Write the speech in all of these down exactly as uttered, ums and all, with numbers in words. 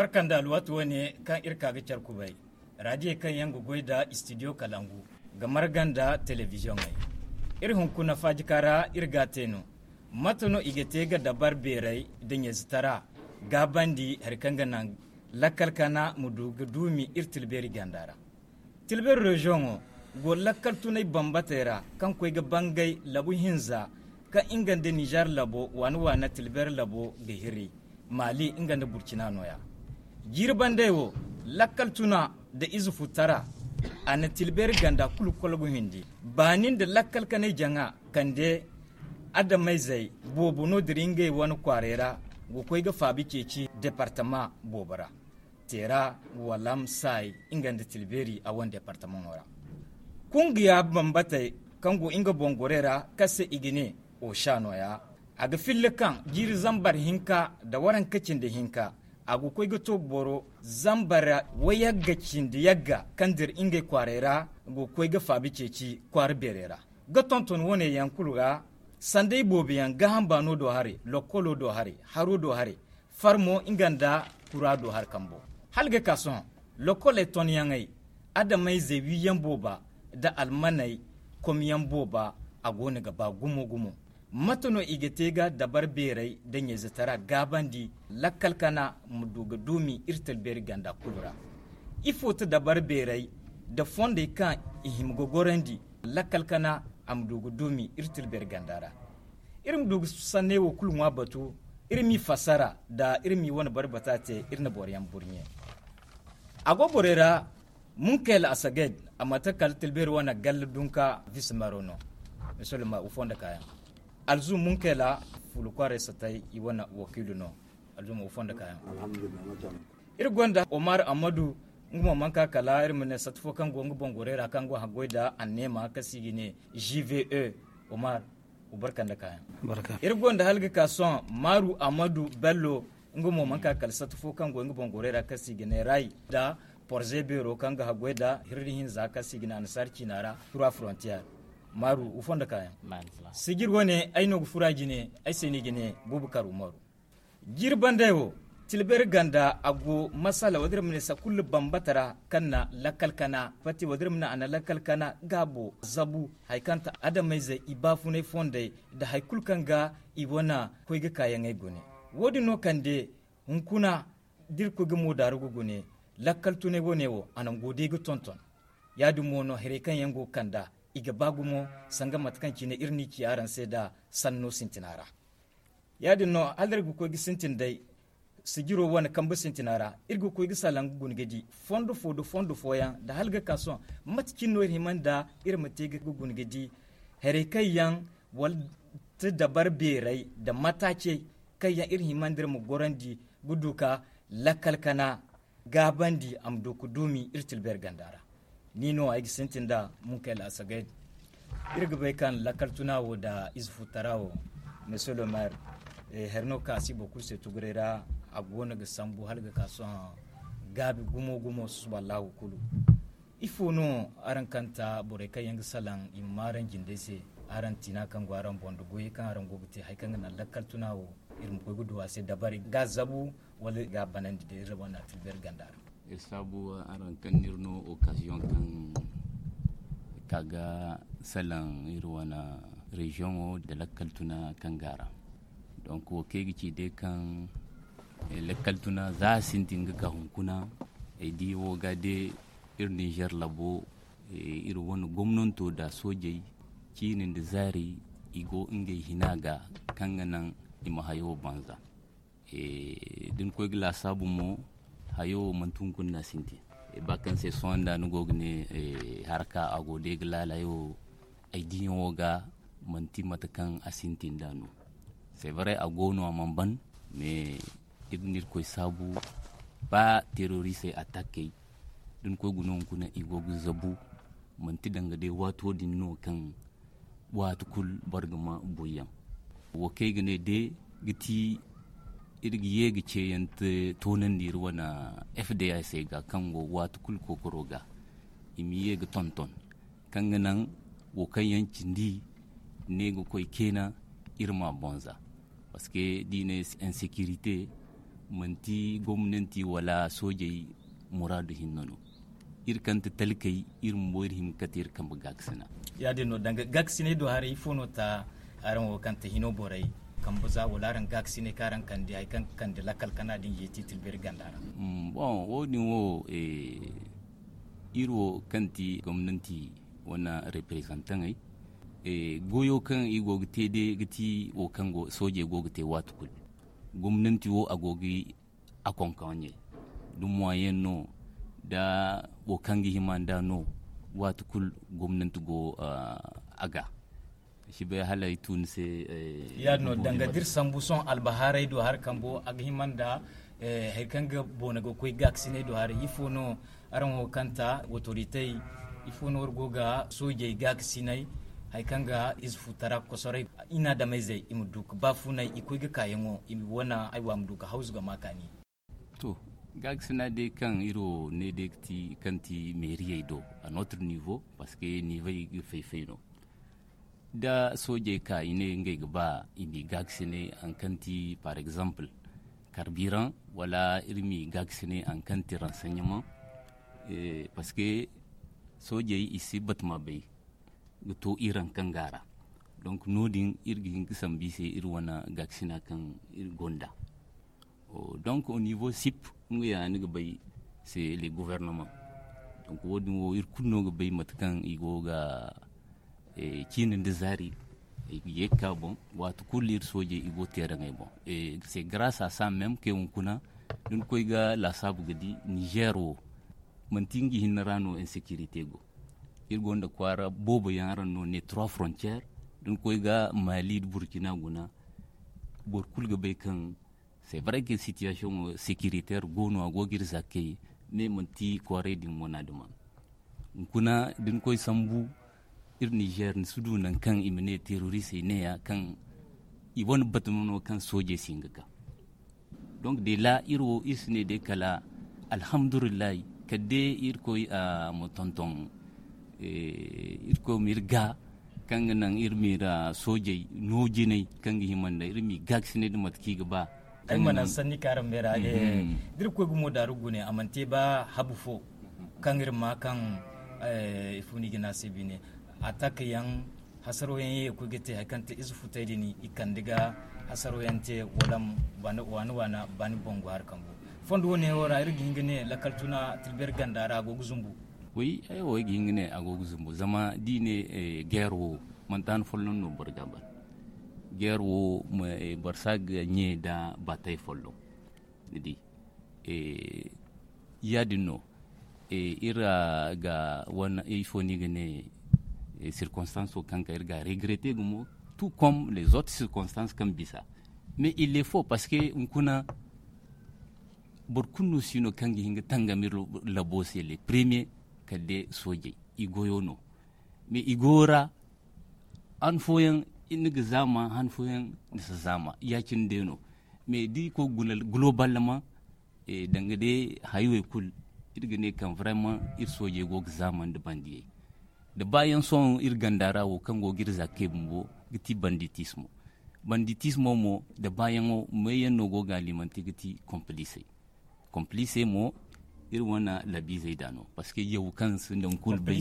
Barka nda alwaati wane kaŋ iri ka ga care kubay, raadiyey kaŋ yaŋ ga goy nda istidiyo kalangu, ga marga nda telebiziyoŋey. Iri hunkuna faajika ra iri ga a te no. Mate no i ga te ga dabari beeray nda ɲayzetaray gaabandi hari kaŋ ga naŋ lakkal kana ma du ga duumi iri tilbeeri ganda ra? Tilbeeri reziyoŋo go lakkal tunay bambatey ra kaŋ koy ga bangay labu hinza kaŋ nga nda nizer labo waana waana tilbeeri labo ga hiri, maali nga nda burcina nooya. Jiiri bandey wo, lakkal tuna nda ize futara, a na tilbeeri ganda kulu kolgu hindi. Baani nda lakkal kanay jaŋa kande adamayzey boobo no dira ngey wane kwaaray ra, ga koy ga faabi ceeci departama boobo ra. Teera, walam, saay, nga nda tilbeeri a wane departamaŋo ra. Kungiya bambatey kaŋ go nga boŋ gorey ra kaŋ se i ga ne osha nooya, a ga filla kaŋ jiiri zambar hinka nda waranka cindi hinka, a ga koy ga to boro zambar wayagga cindi yagga kaŋ dira ngey kwaaray ra, ga koy ga faabi ceeci kwaara beerey ra. Ga tonton wane yaŋ kulu ra, sanday boobo yaŋ gaaham baano do haray, lokkolo do haray, haro do haray, farmo nga nda kura do hari kambo. Hala ga ka sohõ, lokkoley tonyaŋey, adamayzey wiiyaŋ booba nda almaney komyaŋ booba, a goono ga ba gumo gumo. Mate no i ga te ga dabari beeray nda ɲayzetaray gaabandi lakkal kana ma du ga duumi iri talbeeri ganda kulu ra? Ifo ti dabari beeray nda fondey kaŋ i hima ga gorandi lakkal kana a ma du ga duumi iri talbeeri ganda ra? Iri ma du ga sanney wo kulu ŋwa batu, iri m'i fassara nda iri m'i wane barbata te, iri na boroyaŋ burɲe. A go borey ra, munkayla asaged, a mate kala talbeeri wane galla dunka visimero no. Misalima wo fondo kaayaŋ, alzum munkayla, fulu kwaaray satay i wane wakiilu no. Alzum wo fondo kaayaŋ. Iri gonda omar amadu, nga mo mana ka kala iri ma ne sata fo kaŋ go nga boŋ gorey ra kaŋ go haggoy nda anneema kaŋ se i ga ne, gve. Omar, wa barka nda kaayaŋ. Iri gonda hala ga ka sohõ maru amadu bello, nga mo mana ka kala sata fo kaŋ go nga boŋ gorey ra kaŋ se i ga ne ray nda porze beero kaŋ ga haggoy nda hirri hinza kaŋ se i ga ne annasaara ciina ra trois frontières. Maru wa fondo kaayaŋ. Sijir wane ay no ga fura jine ay se no i ga ne bubakar umaru. Jiiri bandey wo, tilbeeri ganda a go masala wadira ma ne sakulla bambata ra kaŋ na lakkal kana pati wadira ma ne a na lakkal kana gaabo zabu, hari kaŋ ta adamayzey i baafunay fondey nda hari kulu kaŋ ga i wane koy ga kaayaŋey gune. Wo- din no kande hunkuna da iri koy ga moodaaru ga gune, lakkal tunay wane wo a nango day ga tonton. Ya- din mo no haray kaŋ yaŋ go ga kand'a, i ga ba gumo sanga mate kaŋ cine iri n'i ci araŋ se nda sanno sintina ra. Ya- din no hala iri ga koy ga sintin day sijiro wane kambe sintina ra, iri ga koy ga salaŋ ga guna ga di fondo fo nda fondo fooyaŋ nda hala ga ka sohõ, mate cine no iri hima nda iri ma te ga guna ga di haray kaŋ yaŋ wala ti dabari beeray nda mataacey kaŋ yaŋ iri hima nda iri ma gorandi ga du ka lakkal kana gaabandi a ma du ga duumi iri tilbeeri ganda ra. Ni no ay ga sintin nda munkayla asagay. Iri ga bay kaŋ lakkal tuna wo nda ize futara wo, monsieur le maire, hari no kaŋ a si boro kulu se tuguray ra. A go no ga sambu hala ga ka sohõ gaabi gumo gumo susuba allahu kulu. Ifo no araŋ kaŋ ta borey kaŋ yaŋ ga salaŋ i ma ma araŋ jindey se, araŋ tiina kaŋ go araŋ boŋ nda goyey kaŋ araŋ go ga te hari kaŋ ga naŋ lakkal tuna wo, iri ma koy ga du a se dabari ga zabu wala ga banandi day iri wane atilbeeri ganda ra? Iri saabu araŋ kaŋ no iri no occasion kaŋ ka ga salaŋ iri wane reziyoŋo nda lakkal tuna kaŋ ga a ra. Donk wo kaŋ ay ga ci day kaŋ lakkal tuna za a sintin ga ka hunkuna, ay di wo ga day iri ninzeer labo, iri wane gomnanto nda soojey ciini nda zaari i go ngey hina ga kaŋ ga naŋ i ma hayo banza. Da ni koy ga laasaabu mo, hayo manti hunkuna no a sintin. Ba kaŋ se sohõ nda ni go ga ne haraka a go day ga laala hayo, ay diyaŋo ga manti mate kaŋ a sintin nd'a no. C'est vrai a go no a mana ban, mais iri na irkoy saabu ba terrorisey attaquey da ni koy guna hunkuna i go ga zabu. Manti danga day waato din no kaŋ waati kulu boro ga ma boyyaŋ. Wo kaŋ ay ga ne day ga ti iri ga ye ga ceeyaŋ toonandi iri wane fda se ga kaŋ go waati kulu kookaro ga i ma ye ga tonton kaŋ ga naŋ wo kaŋ yaŋ cindi ne ga koy keena iri ma boŋ za. Parce que da i ne insécurité Manti gomnanti wala soojey muraadu hinne no. Iri kaŋ ti talkey, iri bumbo iri hima kate iri kambe gaakasina. Ya-din no danga gaakasiney do haray ifo no ta? Araŋ wo kaŋ ti hino borey kambe za wala araŋ gaakasiney kaŋ araŋ kande hari kaŋ ga kande lakkal kana din yeeti tilberi ganda ra? Bon, wo- din wo iri wo kaŋ ti gomnanti wane reprezantaŋey, goyo kaŋ i go ga te day ga ti wo kaŋ soojey go ga te waati kulu. Gomnanti wo a go ga a konkonye da moyen no da wo kaŋ ga hima nda no. Waati kulu gomnanti go a ga si bay hala ay tun se. Ya- din no danga da iri sambu sohõ albahaarey do hari kambo a ga hima nda hari kaŋ ga boona ga koy gaakasiney do haray ifo no? Araŋ wo kaŋ ta wotoritey ifo no wari go ga soojey gaakasiney hari kaŋ ga ize futara kosoray inaadameyzey i ma du ga baafunay i koy ga kaayaŋo i ma wana ay wo a ma du ga hawzu ga ma kaani. To, gaakasina day kaŋ iri wo ne day ga ti kaŋ ti meeriyey do a notre niveau parce que niivoy ga fay-fay no. Da soojey ka i ne ngey ga ba i m'i gaakasinay hari kaŋ ti par exemple karbiran wala iri m'i gaakasinay hari kaŋ ti renseignement. Parce que soojey i si batama bay ga to iri hari kaŋ ga a ra. Donc no- din iri ga hin ga sambu i se iri wane gaakasina kaŋ iri gonda. Donc au niveau sip nga ya ni ga bay c'est le gouvernement. Donc wo- din wo iri kulu no ga bay mate kaŋ i go ga ciine nda zaari i ga ye ga ka boŋ. Waati kulu iri soojey i go teeraŋey boŋ. C'est grâce à ça même que hunkuna da ni koy ga laasaabu ga di niger wo manti nga hinne ra no insécurité go. Iri gonda kwaara boobo yaŋ araŋ no ne trois frontières da ni koy ga mali nda burkina guna. Boro kulu ga bay kaŋ c'est vrai que situation sécuritaire go no a go ga iri zaakey mais manti kwaaray din wana duma. Hunkuna da ni koy sambu iri niger ni si du nangu kaŋ i ma ne terroristey neeya kaŋ i wane batama no kaŋ soojey si hin ga ka. Donc de la iri wo iri si ne day kala alhamdulillahi kala day irkoy a ma tonton irkoy ma iri ga kaŋ ga naŋ iri ma iri soojey no jinay kaŋ ga hima nda iri m'i gaakasinay nda mate kaŋ i ga ba. Ay mana sanni kaŋ araŋ beera da iri koy gumo daaru gune a mana te ba habu fo kaŋ iri ma kaŋ ifo no i ga ne a se bine. Atak yaŋ hasaro yaŋ ye ga koy ga te hari kaŋ te ize futay din i kande ga hasaro yaŋ te wala waana waana baani bangu hari kambu. Fondo wo- ne wo ra iri ga hin ga ne lakkal tuna tilberi ganda ra a go ga zumbu. Wi ay wo ay ga hin ga ne a go ga zumbu zama da i ne geer wo manti han folloŋ no boro ga a ban. Geer wo boro si a ga ɲe nda baatay folloŋ. Ni di ya- din no iri ga wane ifo no i ga ne circonstance wo kaŋ ka iri ga a regretter gumo tout comme les autres circonstances kaŋ bisa. Mais il est faux parce que hunkuna boro kulu no si no kaŋ ga hin ga tangam iri labo se les premiers kala day soojey i goyo no. Mais i goyo ra han fooyaŋ ni ga zaama han fooyaŋ ni si zaama ya- cine day no. Mais da i koy globalement danga day haywey kulu iri ga ne kaŋ vraiment iri soojey go ga zaama nda bandiyey. Da baayaŋ sohõ iri ganda ra wo kaŋ go ga iri zaakey bumbo ga ti banditismo. Banditismo mo da baayaŋo meeyaŋ no go ga alimante ga ti complice. Complice mo iri wane labiizey da no parce que yaw kaŋ sinda hunkuna bay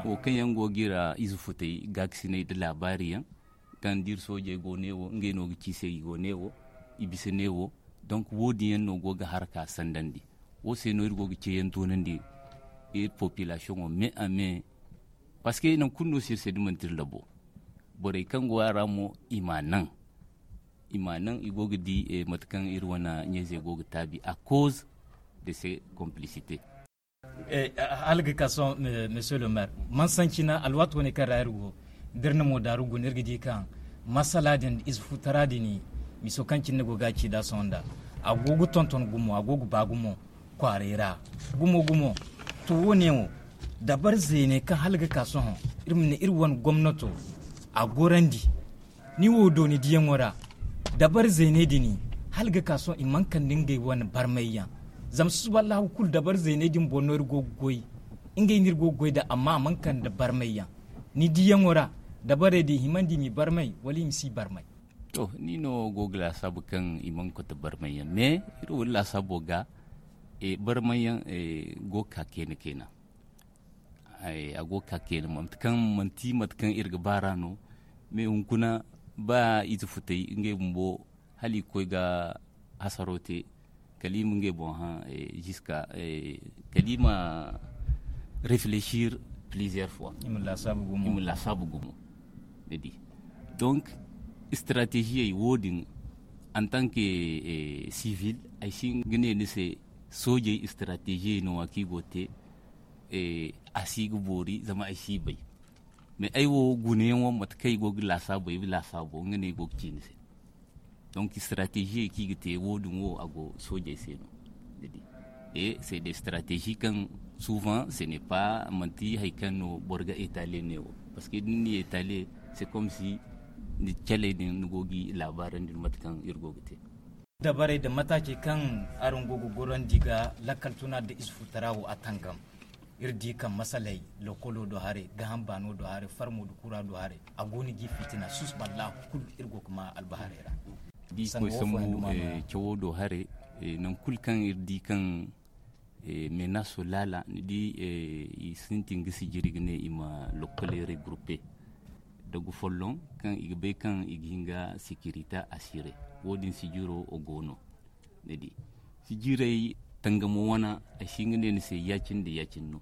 wo kaŋ yaŋ go ga iri ize futay gaakasinay nda laabaari yaŋ kaŋ da iri soojey go ne wo ngey no ga ci se i go ne wo i bisa ne wo. Donc wo- din yaŋ no go ga haraka sandandi wo se no iri go ga ceeyaŋ toonandi iri population wo mais a mais parce que nangu kulu no si iri se da manti iri labo. Borey kaŋ go a ra mo i ma naŋ i ma naŋ i go ga di mate kaŋ iri wane ɲayzey go ga taabi à cause de ces complicités. Hala ga ka sohõ monsieur le maire mansancina alwaati wane kaŋ ra iri go da iri na mo daaru guna iri ga di kaŋ masala din ize futara din miso kaŋ cine ni go ga a ci da sohõ nda a go ga tonton gumo a go ga ba gumo kwaaray ra gumo gumo. To wo- ne wo dabari zeeney kaŋ hala ga ka sohõ iri ma ne iri wane gomnato a gorandi. Ni wo do ni diyaŋo ra dabari zeeney din hala ga ka sohõ i mana kande ngey wane barmayyaŋ. Zama susuballahu kulu dabari zeeney din boŋ no iri go ga goy ngey no iri go ga goy nd'a amma a mana kande barmayyaŋ. Ni diyaŋo ra dabarey din i himandi i m'i barmay wala i ma si barmay? To, ni no go ga laasaabu kaŋ i mana kote barmayyaŋ, mais iri wo iri laasaabo ga barmayyaŋ go ga ka kayna kayna. A go ga ka kayna mate kaŋ manti mate kaŋ iri ga baar'a no. Mais hunkuna ba ize futay ngey bumbo hala i ga koy ga hasaro te, kala i ma ngey boŋ hã, ziska kala i ma réfléchir plusieurs fois. I ma laasaabu gumo. Ni di, donc stratégie wo- din, en tant que civil, ay si hin ga ne ni se soojey stratégie no wa kaŋ i go ga te. A si ga boori zama ay si bay. Mais ay wo gunayaŋo mate kaŋ ay go ga laasaabo ay ga laasaabo nga no ay go ga ci ni se. Donc stratégie kaŋ i ga te wo- din wo a go soojey se no. C'est des stratégies kaŋ souvent ce n'est pas manti hari kaŋ no boro ga étaler ne wo, parce que da ni na étaler, c'est comme si ni caley din ni go ga i laabaarandi mate kaŋ iri go ga te. Dabarey nda mataacey kaŋ araŋ go ga gorandi ga lakkal tuna nda ize futara wo a tangam. Iri di kaŋ masaley lokolo do haray, gaaham baano do haray, farmo nda kura do haray, a go no ga i fitina susuballa kulu iri go ga ma albaharey ra. Di koy sambu cawo do haray, nangu kulu kaŋ iri di kaŋ menaso laala ni di, i sintin ga sijiri ga ne i ma lokkoley regroupe, dagu folloŋ kaŋ i ga bay kaŋ i ga hin ga sécurité assurer. Wo- din sijiro go no. Ni di, sijirey tangamo wana, ay si hin ga ne ni se ya- cine nda ya- cine no.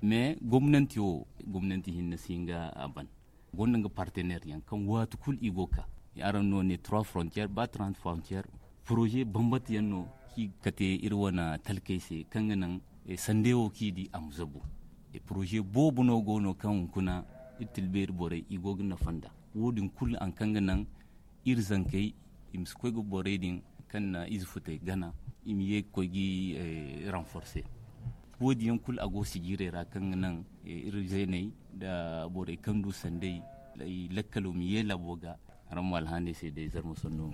Mais gomnanti wo, gomnanti hinne si hin ga a ban. Gonda nga partenaire yaŋ kaŋ waati kulu i go ga ka. Araŋ no ne trois frontières ba trente frontières, projet bambata yaŋ no kaŋ i ga kate iri wane talkey se kaŋ ga naŋ sande wo kaŋ i di a ma zabu. Projet boobo no go no kaŋ hunkuna iri tilbeeri borey i go ga nafa nd'a. Wo- din kulu hari kaŋ ga naŋ iri zankey i ma si koy ga borey din kaŋ na ize futey gana, i ma ye ga koy ga i renforcer. Wo- din yaŋ kulu a go sijirey ra kaŋ ga naŋ iri zeeney nda borey kaŋ du sandey, lakkalo ma ye laabo ga. Araŋ ma alhaaney se day zarma sanno.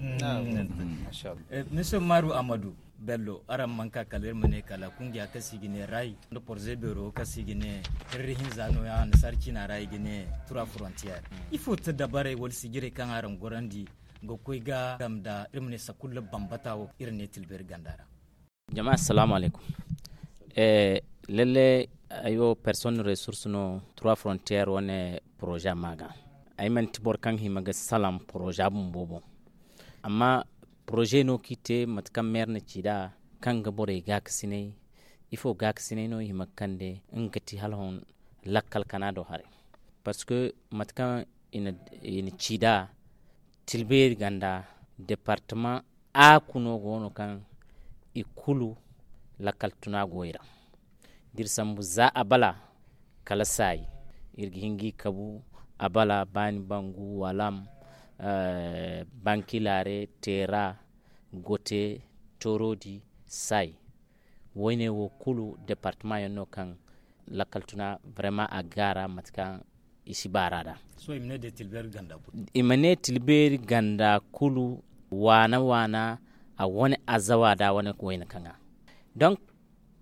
Monsieur Maru Amadu Bello, araŋ mana ka kala iri ma ne kala kungiya kaŋ se i ga ne ray nda porze beero kaŋ se i ga ne hirri hinza no- ya annasaari ciina ra i ga ne trois frontières. Ifo ti dabarey wala sijirey kaŋ araŋ gorandi ga koy ga dam nda iri ma ne sakulla bambata wo iri ne tilbeeri ganda ra? Jama, assalamu alaikum. Lalle, ay wo personne ressource no trois frontières wane projet ma ga. Ay manti boro kaŋ hima ga salaŋ projet bumbo boŋ. Amma projet no kaŋ i te mate kaŋ maire na ci nd'a, kaŋ ga borey gaakasinay. Ifo gaakasinay no i hima ga kande nga ga ti hala hon lakkal kana do haray? Parce que mate kaŋ i na ci nd'a, tilbeeri ganda, département a kuno go no kaŋ i kulu lakkal tuna go i ra. Da iri sambu za a bala kala saayi, iri ga hin ga i kabu a bala, baani bangu, walam, bankilare, teera, gote, torodi, saayi. Woyne wo kulu département yaŋ no kaŋ lakkal tuna vraiment a ga gaara mate kaŋ i si baara nd'a. I ma ne tilbeeri ganda kulu waana waana a wane azawa da wane wayna kaŋa. Donc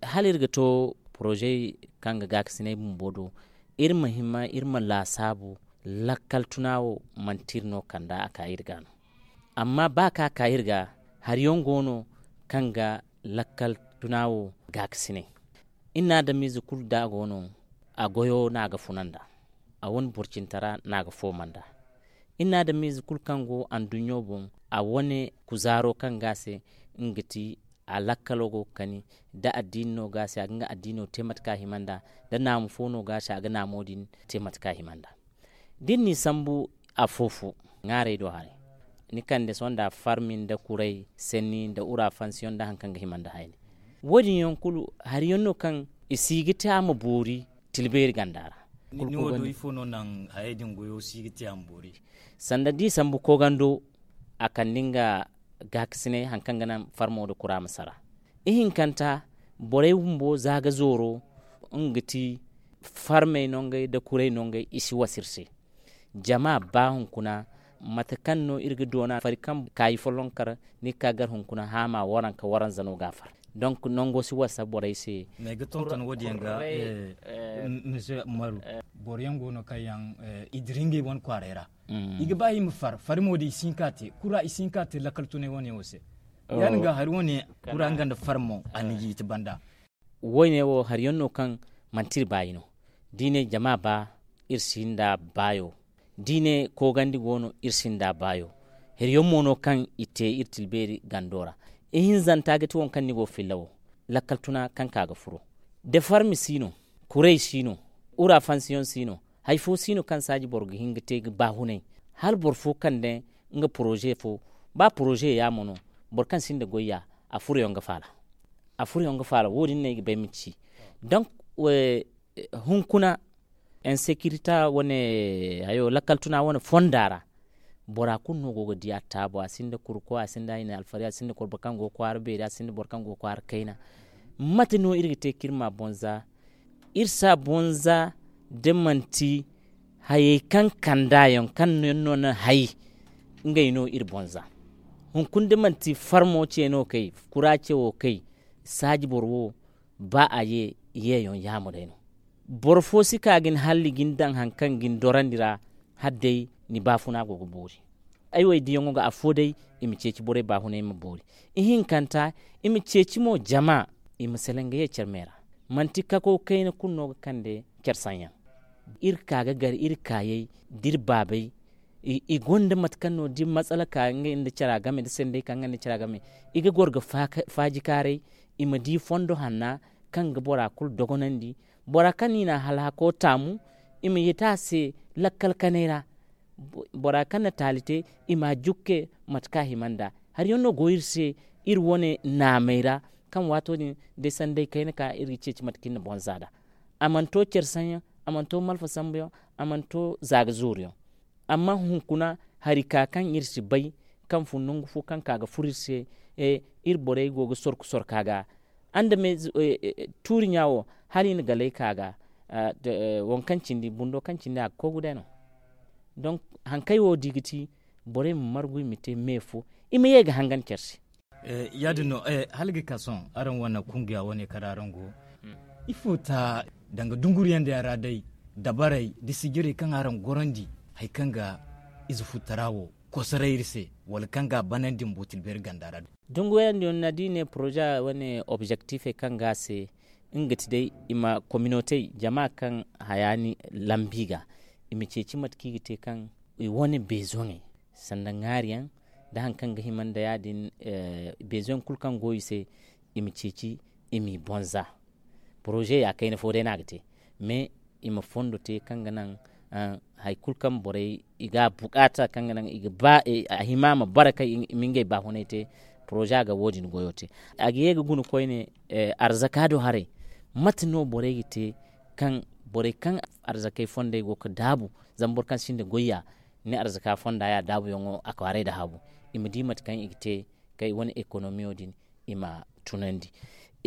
hala iri ga to projet kaŋ ga gaakasinay bumbo do, iri ma hima iri ma laasaabu lakkal tuna wo manti iri no kanda a ka iri ga no. Amma ba ka ka iri ga, hari yaŋ go no kaŋ ga lakkal tuna wo gaakasinay. Iri na adamize kulu da a go no, a goyo no a ga funa nd'a, a wane burcintara no a ga fooma nd'a. Iri na adamize kulu kaŋ go anduɲɲo boŋ, a wane kuzaaro kaŋ ga a se nga ga ti a lakkalo go ga kani. Da addiini no ga a se a ga nga addiino te mate kaŋ a hima nd'a. Da naamu fo no ga a se a ga naamo din te mate kaŋ a hima nd'a. Da iri n'i sambu afo-fo ŋwaarey do haray, ni kande sohõ nda farmi nda kuray senni nda urafansiyoŋ nda hari kaŋ ga hima nda hayni. Wo- din yaŋ kulu hari yaŋ no kaŋ i si ga te a ma boori tilbeeri ganda ra. Ni wo do ifo no naŋ hayey din goyo si ga te a ma boori? Sanda da i sambu koogando, a kande nga gaakasinay hari kaŋ ga naŋ farmo nda kura ma sara. Ihinkanta, borey bumbo za ga zooro, nga ga ti farmey nongey nda kurey nongey i si wasa iri se. Jama ba hunkuna, mate kaŋ no iri ga doona fari kaŋ kaayi folloŋ kar, ni ga ka gar hunkuna haama waranka waranza no ga a far. Donc nango si wasa borey se. Mais ga tonton wo- din yaŋ ga, eh, monsieur Umaru, boro yaŋ go no kaŋ yaŋ i dira ngey wane kwaaray ra. I ga ba i ma far fari mo da i si hin ka te kura i si hin ka te lakkal tunay wane wo se. Ya- din ga hari wane kura nga nda far mo a na yiiti banda. Wo- ne wo hari yaŋ no kaŋ manti iri baayi no. Da i ne jama ba, iri si nda baayo. Da i ne koogandi go no, iri si nda baayo. Hari yaŋ mo no kaŋ i te iri tilbeeri gando ra. Ihinzanta ga ti waŋ kaŋ ni go filla wo. Lakkal tuna kaŋ ka ga furo. Defarmi si no. Kuray si no. Ura fansiyoŋ si no. Hari fo si no kaŋ saaji boro ga hin ga te ga baahunay. Hala boro fo kande nga poroze fo. Ba poroze yaamo no. Boro kaŋ sinda goyya a furo yaŋ ga faala. A furo yaŋ ga faala wo- din no ay ga bay ma ci. Donc, hunkuna insekirita wane hayo lakkal tuna wane fonda ra. Bora kulu no go ga di a taabo a sinda kurko a sinda hayni alfari a sinda korba kaŋ go kwaara beeri a sinda boro kaŋ go kwaara kayna. Mate no iri ga te ka iri ma bonza? Iri si a bonza da manti hayey kaŋ kanda yaŋ kaŋ yaŋ no na hay. Ngey no iri bonza. Hunkuna da manti farmo ce no kay kura ce wo kay saaji boro wo. Ba a ye yeeyoŋ yaamo day no. Boro fo si ka ga ni halli ga ni daŋ hari kaŋ ga ni dorandi ra. Hala day ni baafuna go ga boori. Ay wo ay diyaŋo ga afo day i ma ceeci borey baahunay ma boori. Ihinkanta i ma ceeci mo jama i ma salaŋ ga ye care me ra. Manti kako kayna kulu no ga kande care saŋ yaŋ. Iri ka ga gar iri kaayey da iri baabey. I gonda mate kaŋ no da matsala ka ngey nda cara game da sanday ka ngey nda cara game. I ga goro ga faajikaaray i ma di fondo hanna kaŋ ga bora kulu dogonandi. Bora kaŋ no i na a halhako taamu i ma yita a se lakkal kanay ra. Bora kaŋ na taali te i ma a jukke mate kaŋ a hima nd'a. Hari yaŋ no go iri se iri wane naamey ra kaŋ waato din day sanday kayna ka iri ga ceeci mate kaŋ iri na boŋ za nd'a. A mana to care saŋ yaŋ, a mana to malfa sambu yaŋ, a mana to za ga zooru yaŋ. Amma hunkuna hari ka kaŋ iri si bay kaŋ fun nangu fo kaŋ ka ga furo iri se. Iri borey go ga sorku sorku a ga. Andame tuuri ɲa wo hala i na galay ka ga. Waŋ kaŋ cindi bundo kaŋ cindi a ga koy guday no. Donk haŋ kaŋ ay wo di ga ti borey ma margu i ma te me fo i ma ye ga hangan care se. Ya- din no. Hala ga ka sohõ araŋ wane kungiya wane kaŋ ra araŋ go ifo ta danga dunguriyaŋ din ra day dabarey da sijirey kaŋ araŋ gorandi hari kaŋ ga ize futtara wo kosoray iri se wala kaŋ ga a banandi ma bu tilbeeri ganda ra. Dunguriyaŋ din na da i ne poroza wane objektifey kaŋ ga a se nga ga ti day i ma kominotey jama kaŋ haya ni lambi ga i ma ceeci mate kaŋ i ga te kaŋ i wane bezoŋey sanda ŋaari yaŋ da hari kaŋ ga hima nda ya- din bezoŋ kulu kaŋ go i se. I ma ceeci i m'i boŋ za poroze ya kayna fo day no a ga te mais i ma fondo te kaŋ ga naŋ hari kulu kaŋ borey i ga a bukaata kaŋ ga naŋ i ga ba a hima ma bara kaŋ i ma ngey baahunay te. Poroze a ga wo- din goyo te a ga ye ga guna koyne arzaka do haray. Mate no borey ga te kaŋ borey kaŋ arzakey fondey go ga daabu zama boro kaŋ sinda goyya ni arzaka fonda ya daabuyaŋo a kwaaray nda haabu i ma di mate kaŋ i ga te kaŋ i wane ekonomiyo din i ma tunandi.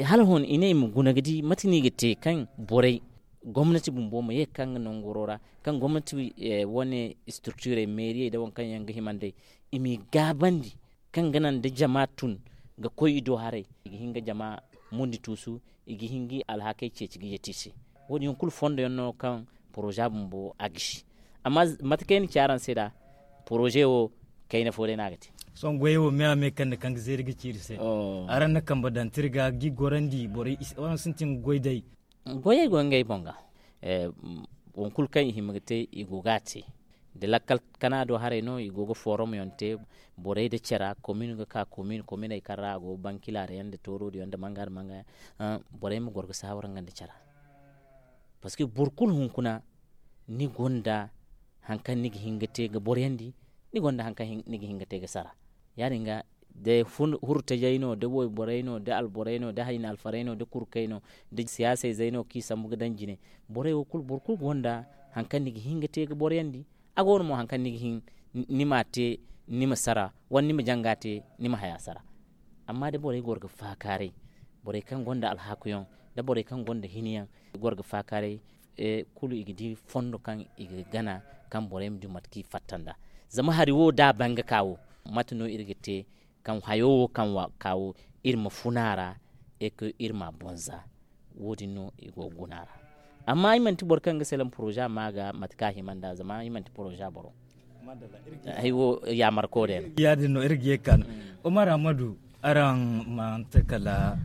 Hala hon i ne i ma guna ga di mate no i ga te kaŋ borey gomnati bumbo ma ye ga ka nga nanguro ra kaŋ gomnati wane structurey meeriyey nda waŋ kaŋ yaŋ ga hima nd'ey i m'i gaabandi kaŋ ga naŋ da jama tun ga koy i do haray i ga hin ga jama mundi tuusu i ga hin ga i alhakey ceeci ga yeeti i se. Wo- din yaŋ kulu fondo yaŋ no kaŋ poroza bumbo a gisi. Amma mate kaŋ ay na ci araŋ se nd'a poroze wo kayna fo day no a ga te. Sohõ goyey wo me a me kaŋ ga zeeri ga ci iri se araŋ na kambe daŋ te iri ga ga i gorandi borey araŋ sintin ga goy day. Goyey go ngey boŋ ga waŋ kulu kaŋ i hima ga te i go ga a te. Da lakkal kana do haray no i go ga forom yaŋ te borey nda cara komin ga ka komin kominey kaŋ ra a go bankilaare yaŋ nda toorodi yaŋ nda manga nda manga yaŋ borey ma goro ga saawara nga nda cara. Parceque boro kulu hunkuna ni gonda hari kaŋ ni ga hin ga te ga boroyandi ni gonda hari kaŋ ni ga hin ga te ga sara. Ya- din ga da hurtajey no da wayborey no da alborey no da hayna alfarey no da kurkey no da siyaasayzey no kaŋ i sambu ga daŋ jine. Borey wo kulu boro kulu gonda hari kaŋ ni ga hin ga te ga boroyandi. A go no mo hari kaŋ ni ga hin ni m'a te ni ma sara wala ni ma janga te ni ma haya sara. Amma da borey goro ga faakaaray borey kaŋ gonda alhakuyaŋ da borey kaŋ gonda hiniyaŋ goro ga faakaaray kulu i ga di fondo kaŋ i ga gana kaŋ borey ma du mate kaŋ i fatta nd'a. Zama hari wo da a ban ga ka wo mate no iri ga te kaŋ hayo wo kaŋ ka wo iri ma funa a ra. Iri ma a bonza. Wo- din no i go ga guna a ra. Amma ay manti boro kaŋ ga salaŋ poroza ma ga mate kaŋ a hima nd'a zama ay manti poroza boro. Ay wo yaamar koodey no. Ya- din no iri ga ye ga ka no. Omar Ahmadu, araŋ manti kala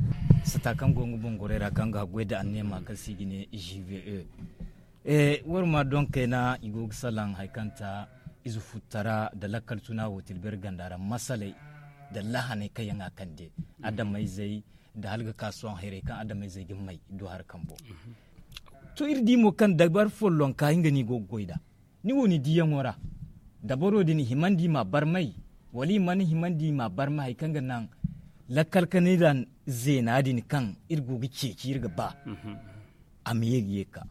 sata kaŋ go nga boŋ gorey ra kaŋ ga haggoy nda anneema kaŋ se i ga ne g v e. War ma doŋ kayna i go ga salaŋ hari kaŋ ta ize futtara nda lakkal tuna wo tilberi ganda ra masaley nda lahaney kaŋ yaŋ a kande adamayzey nda hala ga ka sohõ hayrey kaŋ adamayzey ga may do hari kambo. To iri di mo kaŋ dabar follonka nga no i go ga goy nd'a. Ni wo ni diyaŋo ra dabaro din himandi ma barmay wala i mana himandi ma barmay hari kaŋ ga naŋ lakkal kanay ra zeena din kaŋ iri go ga ceeci iri ga ba a ma ye ga ye ga ka.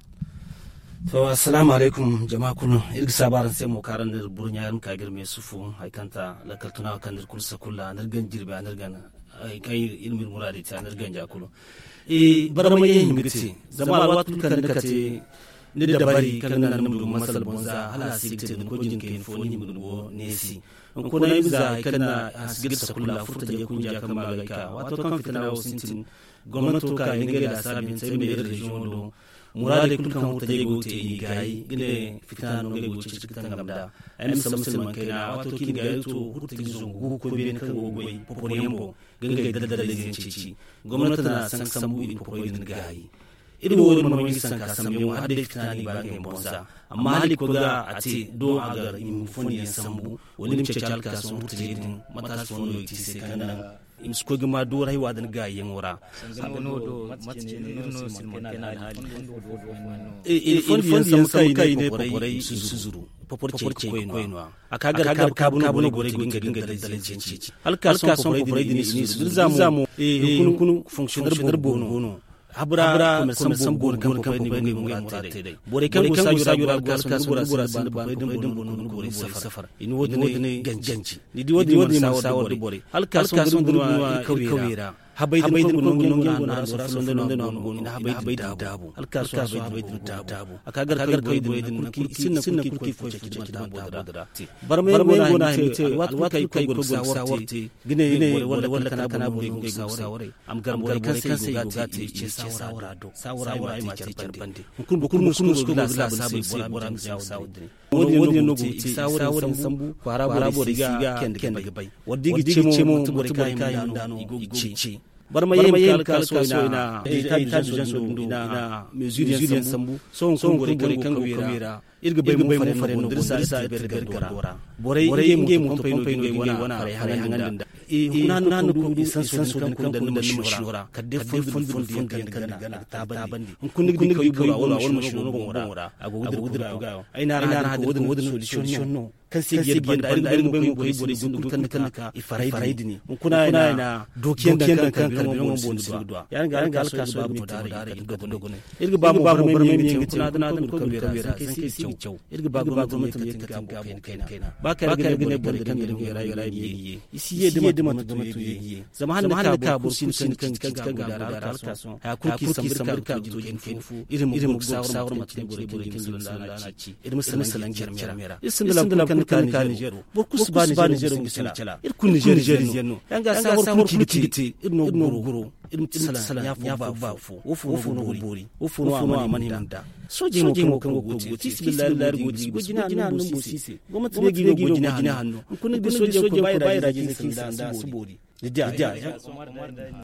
To assalaamu alaykum jama kulu. Iri ga saabu araŋ se mo kaŋ araŋ na iri burɲa iri ma ka ga iri me sufu hari kaŋ ta lakkal tuna wo kaŋ no iri kulu sakulla no iri gana jirbi a no iri gana hari kaŋ iri ma iri muraadey te a no iri ganja kulu. Barmay yaŋ hima ga te zama alwaati kulu kaŋ ni ga te ni dabari kaŋ ga naŋ ni ma du masala boŋ za hala a si ga te da ni koy jina kayna fo ni hima ga du wo neesi. Hunkuna ay ma za hari kaŋ na a si ga iri sakulla furtajey kunja kaŋ ma ga ay ka waato kaŋ fitina wo sintin. Gomnato ka i na ngey laasaabu yaŋ te ay ma ne iri reziyoŋo do muraadey kulu kaŋ furtajey go ga te i gaayi ga ne fitina no ngey go ga ceeci ga tangam nd'a. Ay ma sambu silmaŋ kayna waato kaŋ i na gaayi to furtaji zangu gu ga koy beene kaŋ go ga goy popor yaŋ boŋ ga ngey daldallayze yaŋ ceeci. Gomnato na sanka sambu i na popoy din gaayi. Iri wo iri mana way ga sanka sambu yaŋ wo hala day fitina no i ba ngey ma boŋ za. Amma hala i koy ga a te do a gar i ma fondi yaŋ sambu wala i ma ceeci alkaaso hurtajey din mataasi fo no i te i se kaŋ ga naŋ i ma si koy ga ma dooray wa din gaayi yaŋo ra. I fondi yaŋ sambu kaŋ i ne poporay i ma si zuru popor ceeci koy no- ya. A ka gar kaabu no borey go ga nga daldalay ceeci. Alkaaso poporay din i si zuru za mo hunkuna fonksiyoner boobo go no. Habura komersan boobo go no kaŋ poporay din go ga ngey muraadey te day. Borey kaŋ go saajo ra go alkaaso ni bora sinda ba ni poporay din boro no ga borey safar i na wo- din ay ganji. Ni di wo- din ay mana saawar da borey alkaaso ga ni bora no iri kawey ra. Habay din kaŋ go no ngey go no a no ra safar no nda no a go no i na habay din daabu. Alkaaso habay din daabu a ka gar kawey borey din nangu kulu i sinda nangu kulu kaŋ i foy foy ceeci da manti habo din ra. Barmay yaŋ go no a hima te alwaati kulu kaŋ i koy ga saawar te ga ne borey wala wala kana borey go ga saawar ay. A ma gar borey kaŋ se i go ga te i ma ce saawara do saawara ay ma te care bande. Hunkuna boro kulu no si koy ga laasaabu ni se bora ma te ni saawar din. Wo- din yaŋ no go ga te i saawara yaŋ sambu kwaara borey si ga kende ga bay. Wala da i ga ce mo manti borey kaŋ i ma nda no i go ga ce. Barmay yaŋ ma kala kala sohõ i na ay taabi janso din do i na mezuri yaŋ sambu. Sohõ hunkuna borey kaŋ go ga kawey ra iri ga bay mo fare no go nda iri za iri taabi iri gardo ra. Borey ngey mo to pompey no ga ngey wane farey haŋandi nda hunkuna hanno kaŋ go i sanso din kaŋ koy nda ni ma siyo ra kala day fondo din fondo yaŋ kaŋ ni gana a ga taabandi. Hunkuna ni ga di kaw i bora wala ma siyo no boŋo ra a go ga dira kuga yaŋ. Ay na araŋ hã din kaŋ wo- din solisiyoŋ no kaŋ se i ga yadda banda ay ga bay mo kaŋ ay borey gundu kulu kaŋ ni ka i faray din hunkuna ay na dookiyaŋ daŋ kaŋ karbiraŋo boŋ ni si ga duwa. Ya- din ga alkaaso iri ga ba mo barmay ma yaŋ ga te hunkuna da na duru kaŋ wira zankey si ga caw. Iri ga ba gomnati ma ye ga te ni gaabo kayna kayna ba kaŋ iri ga ne borey kaŋ ga ne wira i ma ye ga ye i si ye da manti gomnato ye ga ye. Zama hala ni ka boro kulu si ni kaŋ ga ci ga gaabo da alkaaso haya kulu kaŋ i sambu iri ka ga to jin kayna fo iri ma goro ga saawar mate kaŋ borey kaŋ ga ni salaŋ da na ci. Iri ma salaŋ jarmey ra iri sinda laabo kulu kaŋ ni ka nizero boro kulu si ba nizero ga sina cala iri kulu nizer ize no. Ya- din ga saawar kulu kaŋ i ga te iri no ga goro iri ma ti salaŋ ɲa fo ba fo. Wo fo no go ga boori wo fo no a mana hima nda soojey mo kaŋ go ga goy te i si billahi laari go ga goy jina hanno gomnati ne ga i no goy jina hanno hunkuna ni ga di soojey koy ba i ra jina kaŋ i sanda si boori. Ni diya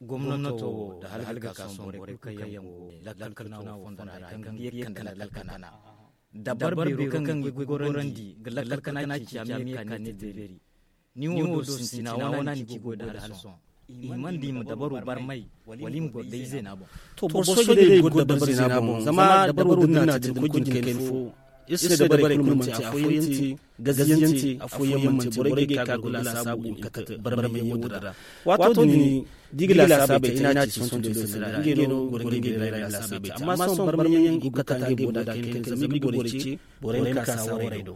gomnato wo da hala ga ka sohõ borey kulu kaŋ yaŋ go lakkal tuna wo fonda ra kaŋ ga ye ga kande lakkal kana dabbar beero kaŋ ga i goy ga gorandi ga lakkal kana ceeci a ma ye ga ka ne te beeri. Ni wo do sintina wana ni ci ga goy da hala sohõ i mana di i ma dabaro barmay wala i ma goro day zeena boŋ. To boro soojey day i ga goro dabari zeena boŋ zama dabaro din na te da ni koy jina kayna fo iri se dabarey kulu manti afooyaŋ te gaziyaŋ te afooyaŋ manti borey ga ay ka ga laasaabu i ma kate barmay yaŋ wo din ra. Waato din da i ga laasaabu ay te ay na ci sohõ da ay sanda ra ngey no goro ngey ga ay laasaabu ay te amma sohõ barmay yaŋ i go ga kate ngey boro da kaŋ kaŋ zama i ga borey ce borey ma ka saawaray do.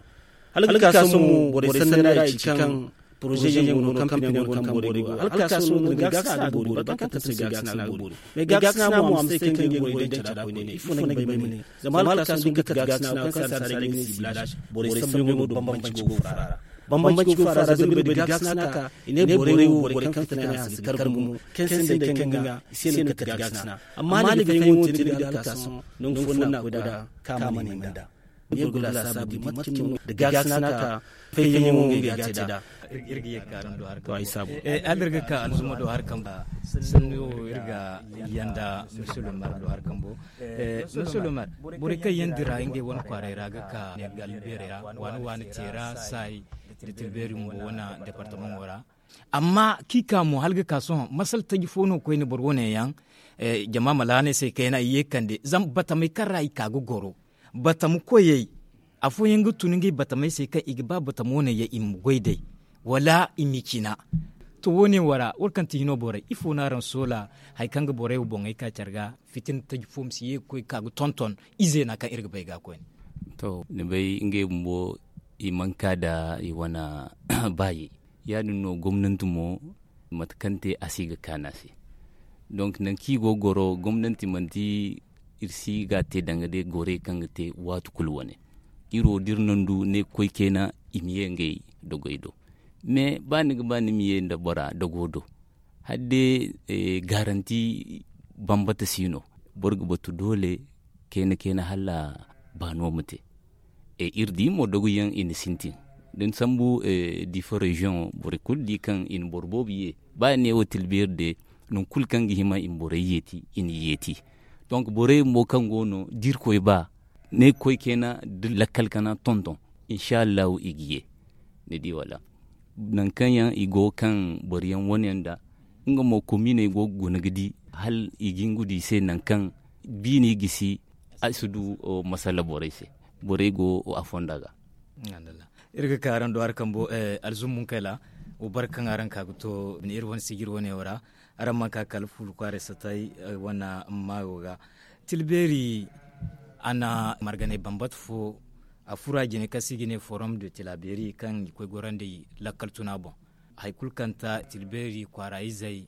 Hala ga ka sohõ mo borey sanda ra i ci kaŋ poroze yaŋ go no kampani yaŋ go no kaŋ borey go hala ga ka sohõ no gaakasina ga boori ba kaŋ kaŋ se gaakasina ga boori. Mais gaakasina mo a ma si te kaŋ ga borey daŋ cara koyne ifo no ay ga bay ma ne zama hala ga ka sohõ da i ga kate gaakasina kaŋ se a na si ay ga ne siblage borey sambu yaŋo do bambanci go ga furo a ra. Bambanci go fara zabi ga bay da gaakasina ka i ne borey wo borey kaŋ fitina yaŋ si kar gumo kaŋ sinda kaŋ ga i se no ga kate gaakasina. Amma ni ga fahimu te ni ga alkason nangu fo na koy da ka ma ne manda. Ni ga gula sabu di mate cine no da gaakasina ka fayyaŋo ngey ga te da. Iri ga ye ga kaaraŋ do har kambo. Hala iri ga ka alzuma do har kambo. Sanni wo iri ga yanda misilomar do har kambo. Misilomar, borey kaŋ yaŋ dira ngey wane kwaaray ra ga ka ne galbeerey ra waani waani teera saay da tilbeeri mo wane departamaŋo ra. Amma kaŋ i ka mo hala ga ka sohõ masala taji fo no koyne boro wane yaŋ. Jama ma laanay se kayna i ye kande zama batamey kaŋ ra i ka ga goro batama koyey. Afooyaŋ ga tun ngey batamey se kaŋ i ga ba batama wane yaŋ i ma goy day wala i ma i cina. To wo- ne wo ra wala kaŋ ti hino borey ifo no araŋ soola? Hari kaŋ ga borey wo boŋey ka care ga fitina taji fo ma si ye ga koy ga ka ga tonton izeena kaŋ iri ga bay ga koyne. To ni bay ngey bumbo i mana ka nda i wane baayi. Ya- din no gomnanti mo mate kaŋ te a si ga kaanu a se. Donk nangu kaŋ i go ga goro gomnanti manti iri si ga a te danga day gorey kaŋ ga te waati kulu wane. Iri wo da iri nandu ne ga koy kayna i ma ye ngey dogoy do. Mais ba ni ga ba ni ma ye nda bora dogo do hala day garanti bambata si no. Boro ga batu doole kayna kayna hala baano ma te. Iri di mo dogoyaŋ i na sintin da ni sambu difa reziyoŋo borey kulu di kaŋ i na boro boobo ye ba i ne wo tilbeeri de. Nangu kulu kaŋ ga hima i ma borey yeeti i na yeeti. Donk borey bumbo kaŋ go no da irkoy ba ne ga koy kayna da lakkal kana tonton insa allahu i ga ye. Ni di wala nangu kaŋ yaŋ i go kaŋ boro yaŋ wane yaŋ nda nga mo kominey go ga guna ga di hala i ga hin ga du i se nangu kaŋ biini gisi a si du masala borey se. Borey go a fonda ga. Iri ga ka araŋ do hari kambo alzummun kayla wo bare kaŋ araŋ ka ga to bine iri wane sijiri wane wo ra. Araŋ mana ka kala fuula kwaaray satay wane maayo ga tilbeeri a na marganay bambata fo a furo a jine kaŋ se i ga ne forum de tilabeeri kaŋ i koy gorandi lakkal tuna boŋ. Hari kulu kaŋ ta tilbeeri kwaara izey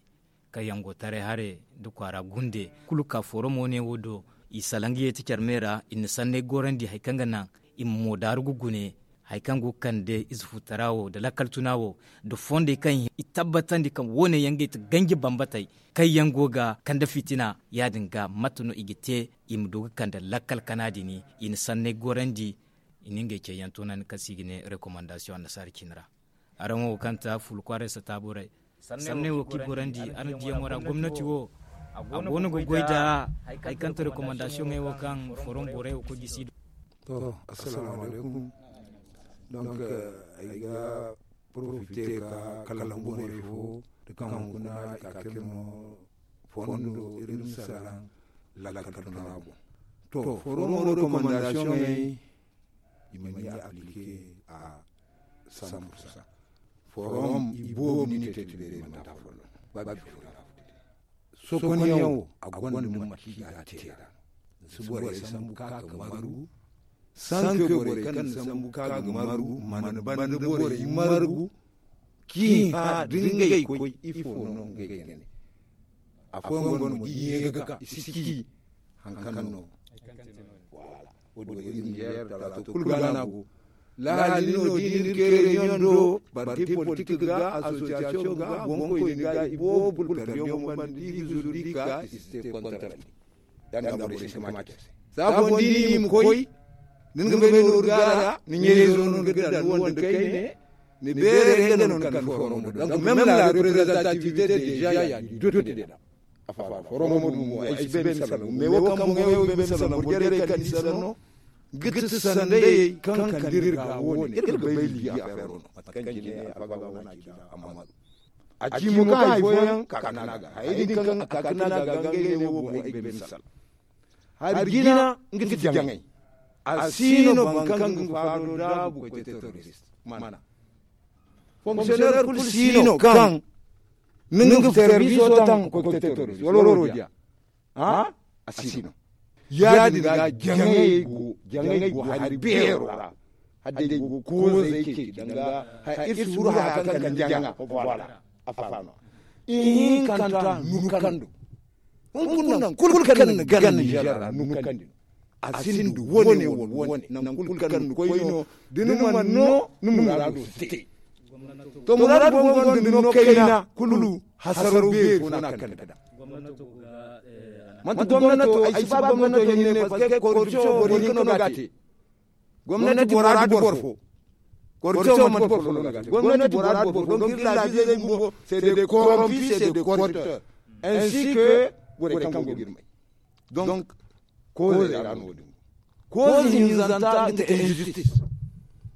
kaŋ yaŋ go taray hare nda kwaara gunde kulu ka forum wane wo do i salaŋ ga yeeti care me ra i na sanney gorandi hari kaŋ ga naŋ i ma mo daaru ga gune hari kaŋ go ga kande ize futara wo nda lakkal tuna wo nda fondey kaŋ i tabbatandi kaŋ wo- ne yaŋ ga i ti ganji bambatey kaŋ yaŋ go ga kande fitina ya- din ga mate no i ga te i ma du ga kande lakkal kana din i na sanney gorandi i na ngey cayyaŋ toonandi kaŋ se i ga ne rekomandasiyoŋ annasaara cine ra. Araŋ wo kaŋ ta fuula kwaaray sata borey sanney wo kaŋ i gorandi araŋ diyaŋo ra gomnati wo a go no ga goy nda hari kaŋ ta rekomandasiyoŋey wo kaŋ forom borey wo koy gisi do. To, assalamu alaykum. Donk ay ga porofite ka kala hunkuna fo da kaŋ hunkuna i ka kirno fondo iri ma salaŋ lakkal tuna boŋ. To, forom rekomandasiyoŋey i mana ye aplike a san pursan. Forom i boobo ni te tiberi mana ta forom ba bi forom. Sokonyaŋo a gonda mumma ki ga te ra. Si borey sambu ka ga maru sanke borey kaŋ na sambu ka ga maru mana banda borey margu ki ha da ngey koy ifo no ngey ga ne. Afooyaŋ go no mo i ye ga ka i si ci hankan no. Wala wo- din yer talato kulu ga na go laali no da iri kere nyondo parti politik ga asosiyasiyoŋ ga boŋkoy ni ga i boobo kulu kardiyaŋo banda i ga zuru di ka i si te kontarandi. Yanda borey si kama ce se safo ni ni ma koy ni ga bay nooru gaara ni ɲeezo no ga da ni wanda kayne. Ni beere nga no ni kan forum do donc même la représentativité déjà ya du dote de la. Afa forum mo du mo ay si bay misalan mais wo kan mo ngay wo bay misalan mo jere kan ni sanno. Giti sandayey kan kan dir ga wone ir ga bay libi affaire no matakan jine afa ga wona ci da amma a ci mo ka hay foyan ka kana ga hay din kan a ka kana ga ga ngay ne wo mo ay bay misal. Hari jina nga ti jaŋay a sino bankan ga faado da bu koy te terrorist mana. Fonctionnaire kulu sino kaŋ ni nga service o taŋ ga koy ga te terrorist wala wala roja. A sino ya- din ga jaŋay go jaŋay go hari beero ra. Hadday go koozay ce danga hay ir si furo haya kaŋ kala ni jaŋa. Voilà. Afa no ihinkanta nukando. Hunkuna kulu kaŋ ni gana niger ra nukandi no. A sinda wane wala wane, nangu kulu kaŋ ni koy no, da ni mana no, ni muraado si te. To, muraadu fooyaŋ go no kayna kulu, hasaro beeri fo no a ga kande nd'a. Manti gomnato, ay si ba gomnato hinne, parce que corruption boro hinka no ga a te. Gomnati bora nda boro fo. Corruption manti boro fo no ga a te. Gomnati bora nda boro fo, donc iri laabiizey bumbo, c'est des corrompus, c'est des corrupteurs. Ainsi que borey kaŋ go ga iri may. Donc, koozey ra no wo-din go. Kooze hinzanta nga ti injustice.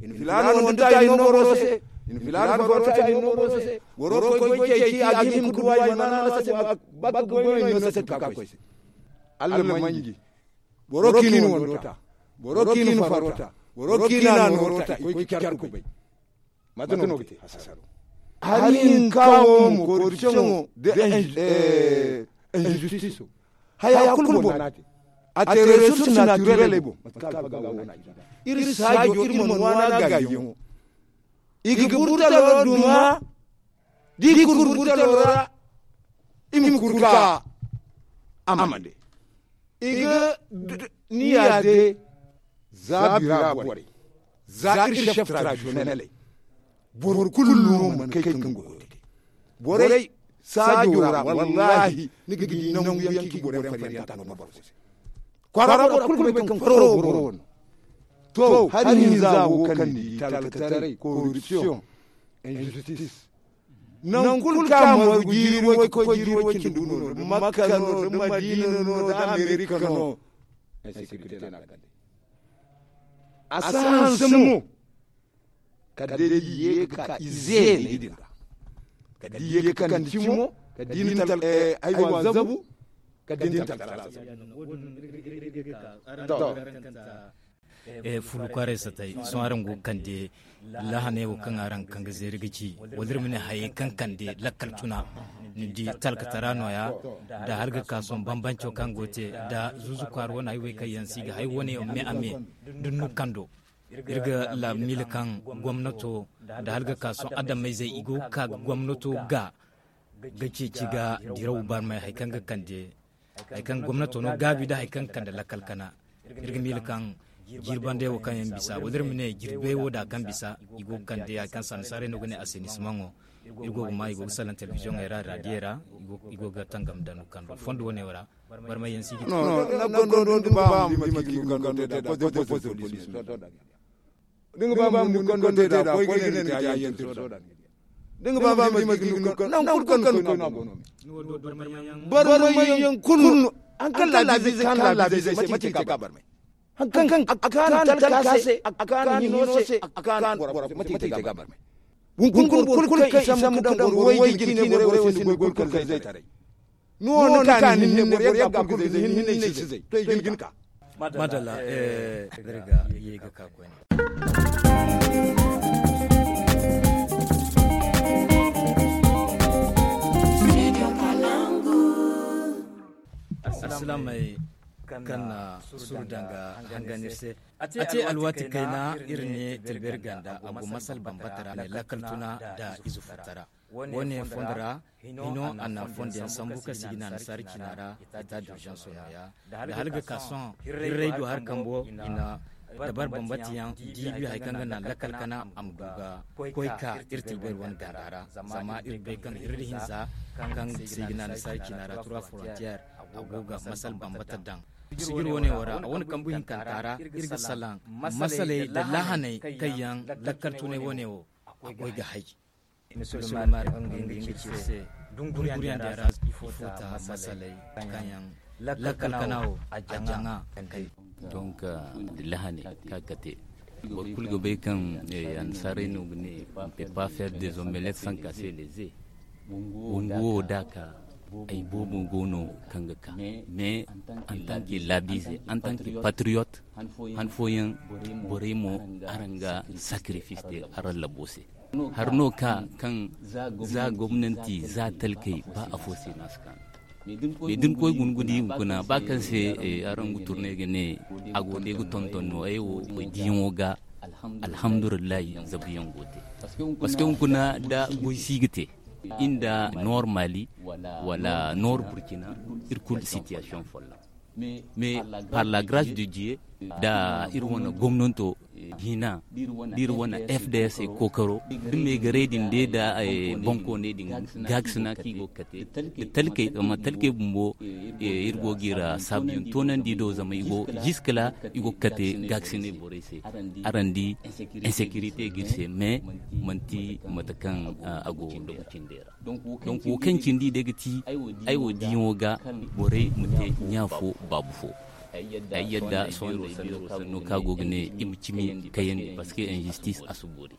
I na filaana wando ta, i na no boro se. I na filaana farwaro ta, i na no boro se. Boro koy, koy ceeci, a ga hima ka duw'a, i mana no a se, ba ka goy no, i na no a se ka ka koy se. Alla manji. Boro kaŋ i na wando ta, boro kaŋ i na farwaro ta, boro kaŋ i na nooro ta, i koy ga care kubay. Mate no ga te hasaro? Hari hinka wo mo, corruption wo, da injustice wo. Haya kulu boro no a te. A te ressources naturelles boŋ. Mate kaŋ alfaga wo no a ci. Iri saajo, iri mana waana gaayiyaŋo. I ga burtalo duma, da i kuru burtalo ra, i ma kuru ka amande. I ga niya de za bira borey, za iri chef traditionneley. Boro kulu no mana kay kaŋ go ga te. Borey saajo ra, wallahi, ni ga di nangu yaŋ kaŋ i ga borey fariyanta no boro se. Kwaara boro kulu ga bay kaŋ kwaro boro no. To, hari hinza wo kaŋ ni di, talkataray, corruption, injustice. Nangu kulu kaŋ a margu jiiri way ka koy jiiri way cindi gu no, da Makka no, da Madiina no, da Amerika no. Insécurité no a kande. A si hanse mo. Kala day i ye ga ka ize ne i din ra. Kala day i ye ga kande cimo, kala day i na tal- eh, aywa zabu, kala day i na talkala zabu. To. Eh, fulu kwaaray satay sohõ araŋ go ga kande lahaney wo kaŋ araŋ kaŋ ga zeeri ga ci wala iri ma ne hayey kaŋ kande lakkal tuna. Ni di talkatara nooya da hala ga ka sohõ bambanco kaŋ go te da zuuzu kwaara wane ay wey kaŋ yaŋ si ga hay wane yaŋ me a me da ni kando. Iri ga laabu miila kaŋ gomnato da hala ga ka sohõ adamayzey i go ga ka ga gomnato ga ga ceeci ga diraw barmay hari kaŋ ga kande hari kaŋ gomnato no gaabi da hari kaŋ ga kande lakkal kana. Iri ga miila kaŋ jirbandey wo kaŋ yaŋ bisa wala iri ma ne jirbey wo da kaŋ bisa i go ga kande hari kaŋ sannasaarey no ga ne assainissement wo. Iri go ga ma i go ga salaŋ telebiziyoŋey ra radiyey ra. I go ga tangam da no kando fondo wane wo ra. Barmay yaŋ si ga te. Nangu kulu kaŋ no te da poste de police no. Da nga ba mo ni kando te da koy ga ne ni te ayyan tirso da. Da nga ba mo ni kando nan kulu kaŋ koy no a go no. Barmay yaŋ kulu no. An kaŋ laabiizey kaŋ laabiizey se mate i te ga barmay. Haŋ kaŋ a kaanu talka se, a kaanu hino se, a kaanu boro se mate i te ga barmay. Hunkuna boro kulu kaŋ i sambu ka daŋ boro way ga cine boro se ni goy kulu kaŋ zay taray. Ni wo ni ka ni hinne boro yagga kulu ga zay ni hinne i si zay to i ga ni ka. Madalla. Iri ga ye ga ka koyne. Alsilaamey kaŋ na suru danga hangan iri se. A te alwaati kayna iri ne tilberi ganda a go masal bambata ra ne lakkal tuna da ize futtara. Wane fondo ra hino a na fondo yaŋ sambu ka si ga na nasaara cina ra. Eta durjanso nooya da hala ga ka sohõ hirray do hari kambo i na dabar bambata yaŋ diibi hari kaŋ ga na lakkal kana a ma du ga koy ka iri tilberi wane ganda ra. Zama iri bay kaŋ hirri hinza kaŋ si ga na nasaara cina ra trois frontières a go ga masal bambata daŋ. Sigir wane wo ra a wane kambu hinkanta ra iri ga salaŋ masaley da lahaney kaŋ yaŋ lakkal tunay wane wo a goy ga hay. Misilmar nga nga ci se dunguriyaŋ ra ifo ta masaley kaŋ yaŋ lakkal kana wo a jaŋa. Donc, da lahaney ka kate boro kulu ga bay kaŋ annasaarey no ga ne on peut pas faire des omelettes sans casser les œufs. Bungu wo da ka ay boobo go no kaŋ ga ka mais en tant que laabiize en tant que patriote han fooyaŋ borey mo araŋ ga sacrifice te araŋ labo se. Har no ka kaŋ za gomnanti za talkey ba afo se no a si kaanu. Mais da ni koy guna ga di hunkuna ba kaŋ se araŋ ga turne ga ne a go day ga tonton no ay wo koy diyaŋo ga. Alhamdulillahi zabuyaŋ go te. Parce que hunkuna da goy si ga te inda nord mali wala nord burkina iri kulu situation folloŋ. Mais par la grâce de Dieu, da iri wane gomnanto hina, da iri wane F D S kookaro, da meegaray din day da bankooney din gaakasina kaŋ i go ga kate, da talkey zama talkey bumbo, iri go ga i ra saabuyaŋ toonandi do zama i go jiskala i go ga kate gaakasinay borey se. Araŋ di, insécurité ga iri se, mais manti mate kaŋ a go dogo cindey ra. Donc wo kaŋ cindi day ga ti ay wo diyaŋo ga borey ma te ɲa fo baabu fo. Ay yadda sohõ day beero sanno kaŋ a go ga ne i ma cimi kayandi parce que injustice a si boori.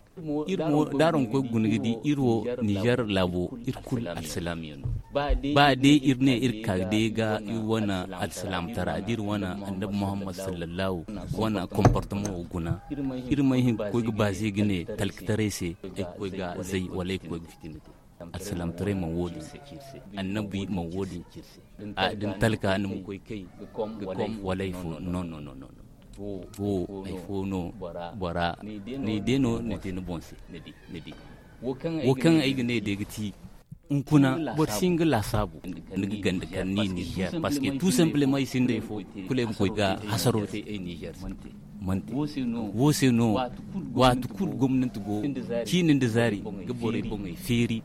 Iri mo da araŋ koy ga guna ga di iri wo niger laabo iri kulu alsilaamiyaŋ no. Ba day iri ne iri ka day ga iri wane alsilaamtara da iri wane annabi muhammad sallallahu wane comportement wo guna, iri ma hin ga koy ga baaze ga ne talkataray se ay ga koy ga zay wala ay ga koy ga fitina te. Alsilaamtaray mana wo- din ci iri se. Annabi mana wo- din ci iri se. Da ni talka ni ma koy kay ga kom wala ay fo no no no no no. Wo ay fo no bora ni day no ni te ni boŋ se. Ni di wo kaŋ ay ga ne day ga ti hunkuna boro si hin ga laasaabu ni ga ganda kar ni niger parce que tout simplement i sinda ay fo kulu ay ma koy ga hasaro te ay niger se. Manti wo se no waati kulu gomnanti go ciini nda zaari ga borey boŋey feeri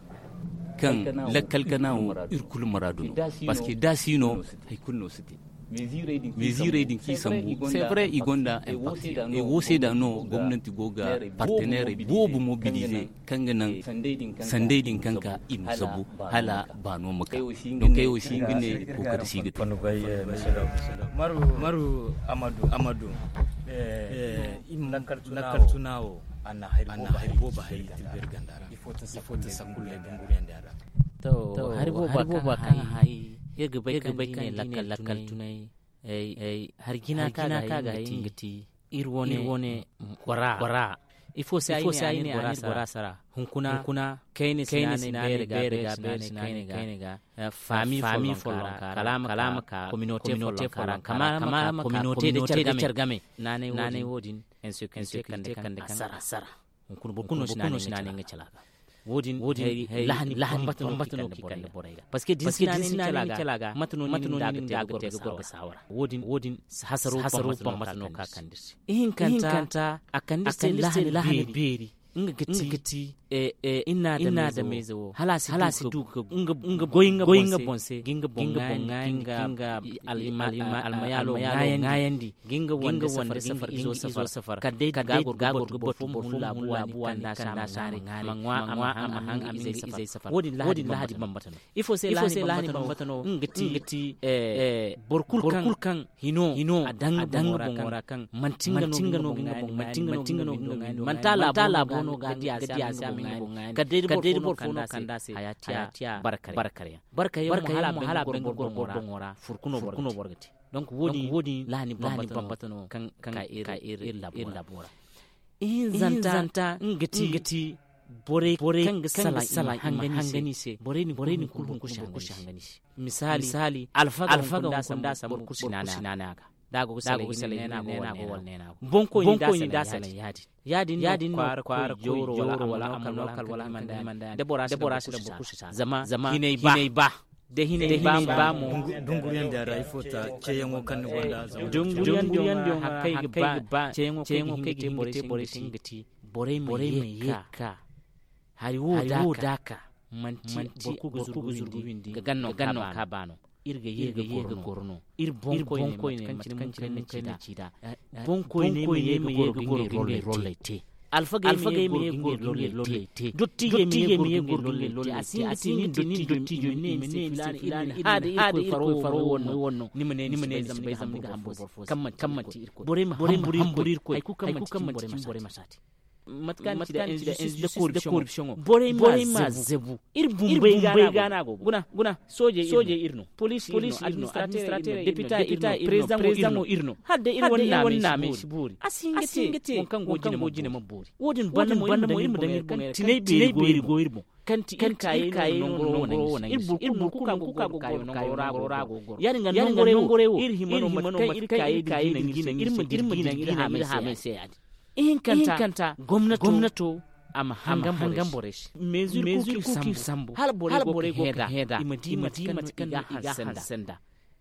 kaŋ lakkal kana wo iri kulu muraadu no. Parce que da si no hari kulu no si te. Meziirey din kaŋ i sambu c'est vrai i gonda impact. Wo se da no gomnanti go ga partenaire boobo mobiliser kaŋ ga naŋ sanday din kaŋ ka i ma zabu hala baano ma ka. Donc ay wo si hin ga ne kookari si ga te. Maru amadu amadu lakkal tuna wo a na hari boobo hari tilberi ganda ra. Ifo ta sakulle dunguriyandi a ra. To hari boobo kaŋ hay iri ga bay kaŋ di ne lakkal tunay hari jina kaŋ ga hay nga ti iri wane bora. Ifo se ay ne a ne bora sara hunkuna kayna si naanay beere ga beere si naanay kayna ga faami folloŋ ka kalaama ka kominote folloŋ ka kama kominote da care game naanay wo- din insécurité kande kande a sara. Hunkuna boro kulu no si naanay nga cala ga. Wo- din lahani bambata no kaŋ i kande borey ga parce que da ni si naanay nga cala ga mate no ni nda ga te ga goro ga saawara. Wo- din hasaro bambata no kaŋ a kande iri se. Ihinkanta a kande iri se lahani beeri nga ga ti iri na adameyze wo hala a si du ga goy nga boŋ se ga nga boŋ ŋaayandi ga nga almayaalo ŋaayandi ga nga wande safar ga nga izo safar kala day ga goro ga boro ga boro fo ma hun laabu waani kanda se a ma ŋwa a ma haŋ a ma haŋ izey safar. Wo- din lahadi bambata no. Ifo se lahadi bambata no nga ti boro kulu kaŋ hino a daŋ nga boŋo ra kaŋ manti nga no ga nga boŋ ŋaayandi manti nga no ga nga boŋ ŋaayandi manti a laabo no ga di a se a ma nga boŋ ŋaayandi kala day da boro fo no kanda se haya tiya barkare yaŋ barkare yaŋ mo hala a bay nga goro boro boŋo ra furkuno boro ga te. Donc wo- din lahani bambata no kaŋ ka iri laabo ra. Ihinzanta nga ti borey kaŋ ga salaŋ i ma hangani se borey din kulu hunkuna boro kulu si hangani se. Misaali alfaga hunkuna da sambu boro kulu si naanay a ga da a go ga salaŋ i ne neena go wala neena go boŋkoyni da salaŋ ya- din ya- din no kwaara koy jooro wala a ma no kala wala a ma no kala da bora si daŋ boro kulu si sa zama hinay ba da hinay ba mo. Dunguriyaŋ din ra ifo ta ceeyaŋo kaŋ ni gonda zama dunguriyaŋ din ra hakkay ga ba ceeyaŋo kaŋ ga te borey se nga ti borey ma ye ga ka hari wo da ka manti boro kulu ga zuru ga windi ga ganno ka ba no. Iri ga ye ga goro no iri boŋkoyne mate kaŋ cine munkari na ci da boŋkoyne ma ye ga goro ga ngey rolley te. Alfagey ma ye ga goro ga ngey rolley te dottijey ma ye ga goro ga ngey rolley te a si hin ga ti nin dottijo ma ne ni se filaana iri na haada irkoy faro wo no ni ma ne ni si bay zama ni ga hamburu boro fo se kaŋ manti irkoy borey ma hamburu irkoy hay kulu kaŋ manti cimi borey ma si a te. Mate kaŋ ni ci da injustice da corruption borey ma zebu iri bumbey ga no a go guna guna soojey iri no poliisi iri no administrateur iri no depita iri no president mo iri no hala day iri wane naamey si boori a si hin ga te waŋ kaŋ go jine ma boori wo- din banda mo iri ma daŋ iri boŋey ra kaŋ tinay beeri go iri boŋ kaŋ ti iri kaayey no nangoro wane iri boro kulu nangu kulu kaŋ go ga kaayo nangoro ra go goro ya- din ga nangorey wo iri hima no mate kaŋ iri kaayey din ga naŋ iri se iri ma dira diina iri haamey se ya- din. Ihinkanta gomnato a ma hangan borey se meezuri kulu kaŋ i sambu hala borey go ga heda i ma di mate kaŋ no i ga hanse nda.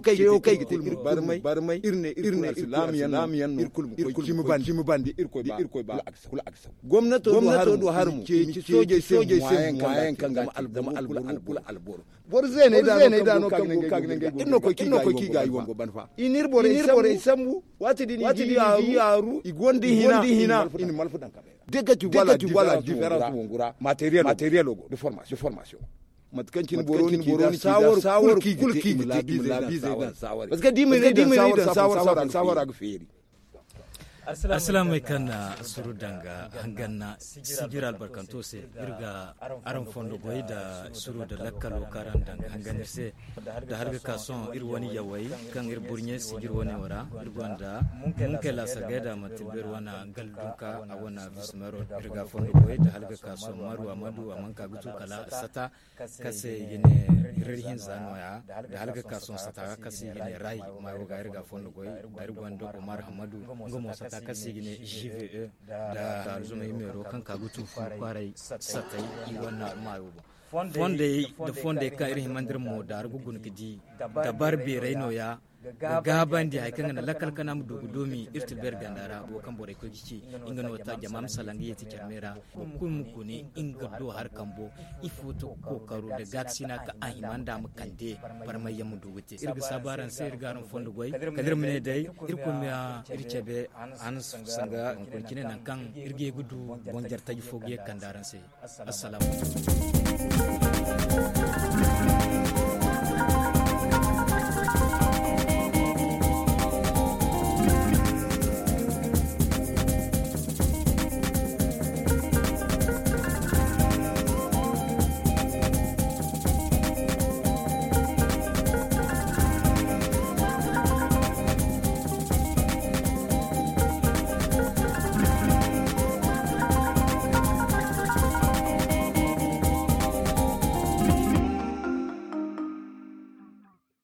ceyo kaŋ ay ga te iri kulu barmay. Iri ne iri kulu alsilaamiyaŋ no. Iri kulu ma koy cimi bandi. Iri koy ba kulu a ga saw. Gomnato do har mo ceeci soojey se moyen kaŋ ga te zama alboro kulu alboro. Boro zeeney da no kaŋ go ka ga nangey go iri no koy k'i ga i wango ban fa. I n'iri borey sambu. Waati din i di yaaru i gonda hina. I na malfu daŋ kabay ra. Degati wala diferans wongura materiyalo go de formasiyo. Mate kaŋ cine boro ni ci da saawar kulu kaŋ i ga te i ma laabizey daŋ saawar. Parce que da i ma ni daŋ saawar saawar a ga feeri. Alsilaamey kaŋ na suru danga hanganna sijira albarkanto se iri ga araŋ fondo goy da suru da lakkalo kaŋ araŋ danga hangan iri se. Da hala ga ka sohõ iri wane yawey kaŋ iri burɲe sijir wane wo ra iri gonda munkey laasagay da manti beeri wane galli dunka a wane bismero. Iri ga fondo goy da hala ga ka sohõ maru amadu a mana ka ga tu kala sata kaŋ se i ga ne rari hinza nooya. Da hala ga ka sohõ sata kaŋ se i ga ne ray maayo ga iri ga fondo goy. Da iri gonda omar hamadu nga mo sata kaŋ se i ga ne gve da alzumay meero kaŋ ka ga tu fu kwaaray satay i wane maayo boŋ. Fondey da fondey kaŋ iri himandi iri mo da araŋ ga guna ga di dabar beeray nooya ga gaabandi hari kaŋ ga naŋ lakkal kana ma du ga doomi iri tilbeeri ganda ra wo kaŋ borey koy ga ci. Nga no ta jama ma salaŋ ga yeeti care me ra boro kulu ma gune nga do hari kambo ifo to ga kookaro da gaakasina kaŋ a hima nda a ma kande barmayyaŋ ma du ga te iri ga saabu araŋ se iri ga araŋ fondo goy kala iri ma ne day iri koy ma iri cabe. Hanna sanga hunkuna cine nangu kaŋ iri ga ye ga du boŋ jare taji fo ga ye ga kande araŋ se. Assalaamu alaykum.